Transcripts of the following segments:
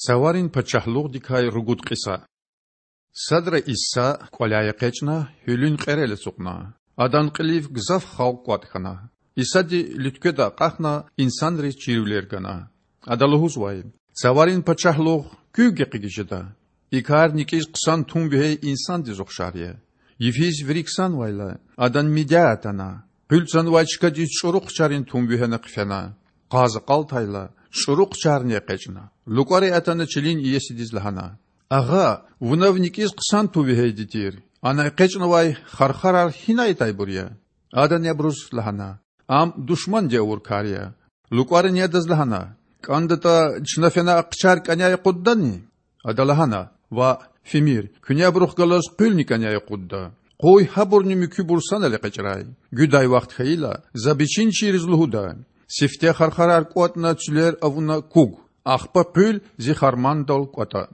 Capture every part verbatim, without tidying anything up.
Цаварин пачагьлугъдикай ругуд кьиса. Садра Иса, кІваляй экъечІна, гьуьлуьн кьерел ацукьна. Адан кьилив гзаф халкь кІватІ хьана. Исади луьткведа акьахна, инсанриз чирвилер гана. Ада лугьузвай: Цаварин пачагьлугъ куьв гекъигиз жеда? И кар никІиз хъсан тум вегьей инсандиз ухшар я. Йифиз вири ксанвайла, адан мидя атана, къуьл цанвай чкадиз чІуру хъчарин тум вегьена хъфена. Къаз акьалтайла, чІуру хъчарни экъечІна, лукІари атана чилин иесидиз лагьана: Агъа, вуна ви никІиз хъсан тум вегьейди тир. Ана экъечІнавай хархарар гьинай атайбур я? Адани абуруз лагьана: Ам душманди авур кар я. ЛукІарини адаз лагьана: КІандатІа, чна фена а хъчар кІаняй акъуддани? Ада лагьана: Ваъ, фимир, куьне абурухъ галаз къуьлни кІаняй акъудда. Къуй гьабурни муькуьбур санал экъечІрай. Гуьдай вахт хьайила, за бичинчийриз лугьуда: сифте хархарар кІватІна цуьлер авуна куг, ахпа къуьл зи хармандал кІватІа.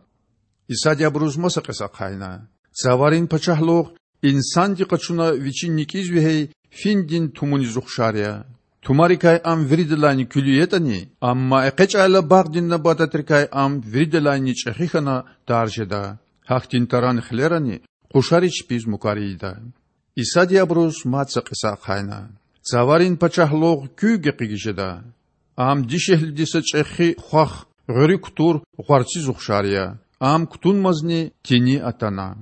Исади абуруз маса кьиса ахъайна: Цаварин пачагьлугъ инсанди къачуна вичин никІиз вегьей финдин тумуниз ухшар я. Тумарикай ам виридалайни куьлуь ятІани, амма экъечІайла багъдин набататрикай ам виридалайни чІехи хьана тар жеда. Гьахьтин таран хилерани къушари чпиз мукар ийида. Исади абуруз мад са кьиса ахъайна: Цаварин пачагьлугъ куьв гекъигиз жеда? Ам дишегьлиди са чІехи хвах гъуьруьк кутур гъварциз ухшар я. Ам кутунмазни, тини атана.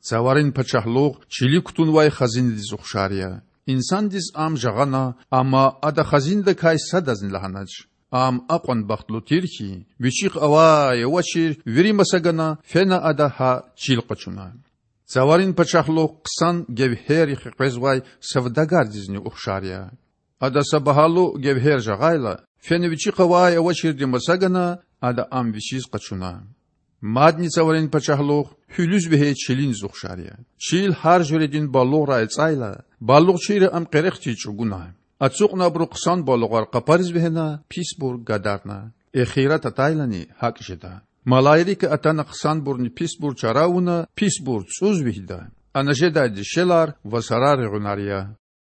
Цаварин пачагьлугъ чили кутунвай хазинадиз ухшар я. Инсандиз ам жагъана, амма ада хазинадикай садазни лагьанач. Ам акьван бахтлу тир хьи, вичихъ авай-авачир вири маса гана, фена ада гьа чил къачуна. Цаварин пачагьлугъ хъсан гевгьеррихъ къвезвай савдагардизни ухшар я. Ада са багьалу гевгьер жагъайла, фена вичихъ авай-авачирди маса гана, ада ам вичиз къачуна. Мадни Цаварин пачагьлугъ гьуьлуьз вегьей чилиниз ухшар я. Чил гьар жуьредин балугърай ацІайла, балугъчийри ам къерехдиз чІугуна. Ацукьна абуру хъсан балугъар къапариз вегьена, писбур гадарна. Эхират атайлани гьакІ жеда. Малаик атана хъсанбурни писбур чара авуна, писбур цІуз вегьида. Ана жедай дишегьлияр ва сарар регъуьнар я.